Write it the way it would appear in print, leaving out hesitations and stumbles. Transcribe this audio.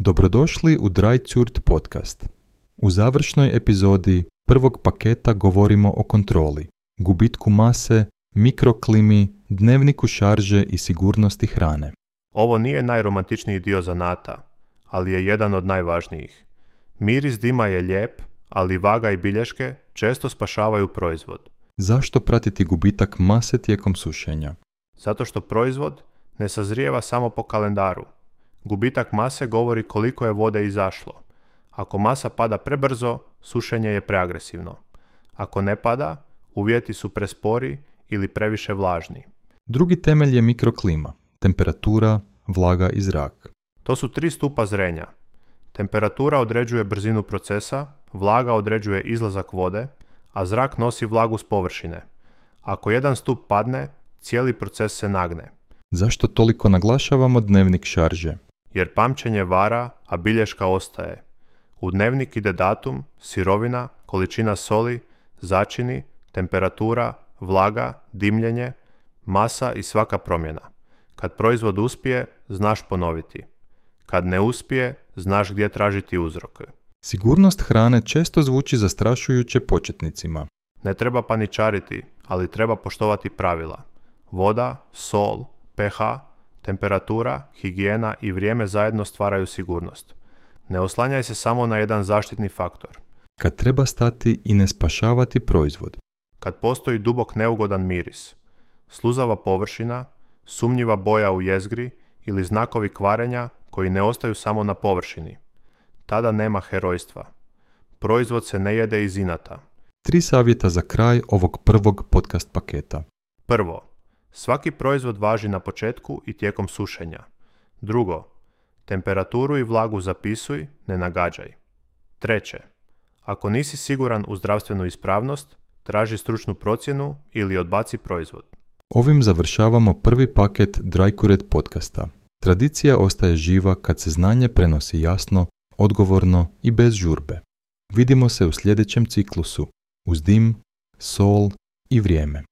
Dobrodošli u Dry podcast. U završnoj epizodi prvog paketa govorimo o kontroli, gubitku mase, mikroklimi, dnevniku šarže i sigurnosti hrane. Ovo nije najromantičniji dio zanata, ali je jedan od najvažnijih. Miris dima je lijep, ali vaga i bilješke često spašavaju proizvod. Zašto pratiti gubitak mase tijekom sušenja? Zato što proizvod ne sazrijeva samo po kalendaru. Gubitak mase govori koliko je vode izašlo. Ako masa pada prebrzo, sušenje je preagresivno. Ako ne pada, uvjeti su prespori ili previše vlažni. Drugi temelj je mikroklima, temperatura, vlaga i zrak. To su 3 stupa zrenja. Temperatura određuje brzinu procesa, vlaga određuje izlazak vode, a zrak nosi vlagu s površine. Ako jedan stup padne, cijeli proces se nagne. Zašto toliko naglašavamo dnevnik šarže? Jer pamćenje vara, a bilješka ostaje. U dnevnik ide datum, sirovina, količina soli, začini, temperatura, vlaga, dimljenje, masa i svaka promjena. Kad proizvod uspije, znaš ponoviti. Kad ne uspije, znaš gdje tražiti uzroke. Sigurnost hrane često zvuči zastrašujuće početnicima. Ne treba paničariti, ali treba poštovati pravila. Voda, sol, pH, temperatura, higijena i vrijeme zajedno stvaraju sigurnost. Ne oslanjaj se samo na jedan zaštitni faktor. Kad treba stati i ne spašavati proizvod. Kad postoji dubok neugodan miris, sluzava površina, sumnjiva boja u jezgri ili znakovi kvarenja koji ne ostaju samo na površini. Tada nema herojstva. Proizvod se ne jede iz inata. 3 savjeta za kraj ovog prvog podcast paketa. Prvo, svaki proizvod važi na početku i tijekom sušenja. Drugo, temperaturu i vlagu zapisuj, ne nagađaj. Treće, ako nisi siguran u zdravstvenu ispravnost, traži stručnu procjenu ili odbaci proizvod. Ovim završavamo prvi paket Dry podcasta. Tradicija ostaje živa kad se znanje prenosi jasno, odgovorno i bez žurbe. Vidimo se u sljedećem ciklusu, uz dim, sol i vrijeme.